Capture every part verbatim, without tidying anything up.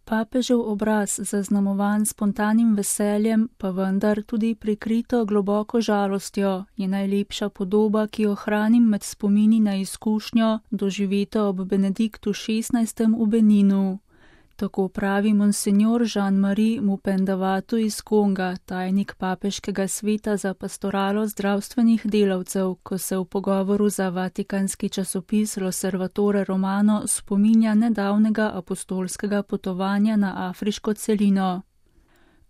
Papežev obraz, zaznamovan spontanim veseljem, pa vendar tudi prikrito globoko žalostjo, je najlepša podoba, ki jo hranim med spomini na izkušnjo, doživeto ob Benediktu šestnajstem v Beninu. Tako pravi monsenjor Jean-Marie Mupendavatu iz Konga, tajnik papeškega sveta za pastoralo zdravstvenih delavcev, ko se v pogovoru za vatikanski časopis L'Osservatore Romano spominja nedavnega apostolskega potovanja na afriško celino.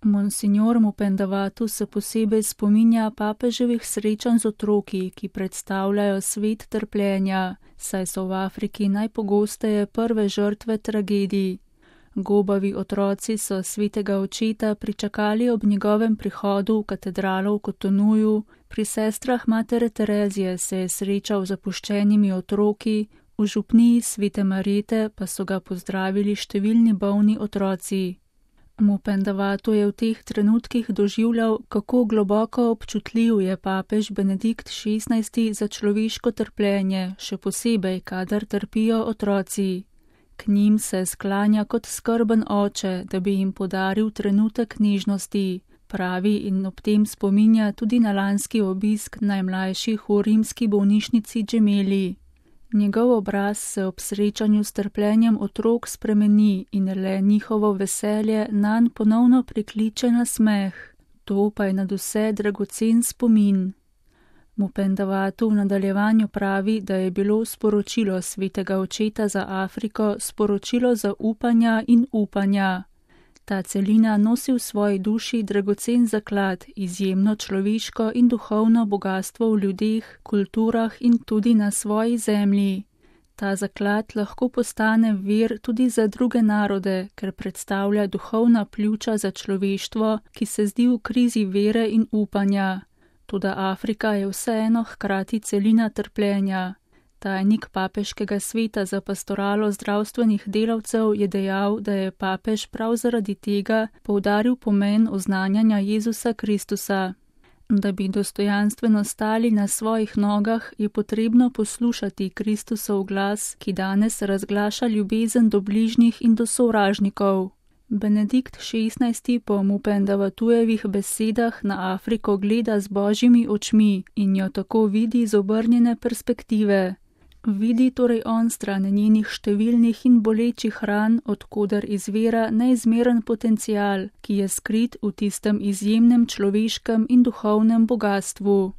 Monsinjor Mupendavatu se posebej spominja papeževih srečanj z otroki, ki predstavljajo svet trpljenja, saj so v Afriki najpogosteje prve žrtve tragedij. Gobavi otroci so svetega očeta pričakali ob njegovem prihodu v katedralo v Kotonuju, pri sestrah matere Terezije se je srečal z zapuščenimi otroki, v župniji svete Marjete pa so ga pozdravili številni bolni otroci. Mupendavatu je v teh trenutkih doživljal, kako globoko občutljiv je papež Benedikt šestnajsti za človeško trpljenje, še posebej, kadar trpijo otroci. K njim se sklanja kot skrben oče, da bi jim podaril trenutek nežnosti, pravi in ob tem spominja tudi na lanski obisk najmlajših v rimski bolnišnici Džemeli. Njegov obraz se ob srečanju s trpljenjem otrok spremeni in le njihovo veselje nanj ponovno prikliče na smeh. To pa je nadvse dragocen spomin. Mupendavatu v nadaljevanju pravi, da je bilo sporočilo svetega očeta za Afriko sporočilo zaupanja in upanja. Ta celina nosi v svoji duši dragocen zaklad, izjemno človeško in duhovno bogastvo v ljudeh, kulturah in tudi na svoji zemlji. Ta zaklad lahko postane vir tudi za druge narode, ker predstavlja duhovna pljuča za človeštvo, ki se zdi v krizi vere in upanja. Toda Afrika je vseeno hkrati celina trpljenja. Tajnik papeškega sveta za pastoralo zdravstvenih delavcev je dejal, da je papež prav zaradi tega poudaril pomen oznanjanja Jezusa Kristusa. Da bi dostojanstveno stali na svojih nogah, je potrebno poslušati Kristusov glas, ki danes razglaša ljubezen do bližnjih in do sovražnikov. Benedikt šestnajsti po Mupendavatujevih besedah na Afriko gleda z božjimi očmi in jo tako vidi z obrnjene perspektive. Vidi torej on stran njenih številnih in bolečih ran, odkoder izvira neizmeren potencial, ki je skrit v tistem izjemnem človeškem in duhovnem bogastvu.